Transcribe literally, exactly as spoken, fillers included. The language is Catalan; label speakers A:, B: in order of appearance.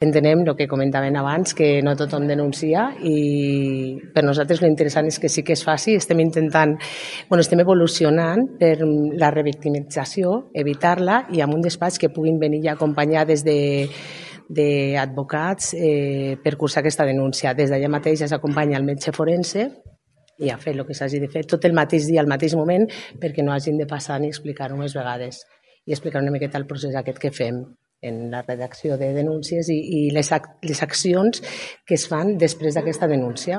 A: Entenem el que comentaven abans, que no tothom denuncia i per nosaltres l'interessant és que sí que es faci. Estem intentant, bueno, estem evolucionant per la revictimització, evitar-la i amb un despatx que puguin venir ja acompanyades de d'advocats eh, per cursar aquesta denúncia. Des d'allà mateix ja s'acompanya el metge forense i a fer el que s'hagi de fer tot el mateix dia, al mateix moment, perquè no hagin de passar ni explicar-ho més vegades i explicar una miqueta el procés aquest que fem en la redacció de denúncies i, i les, ac les accions que es fan després d'aquesta denúncia.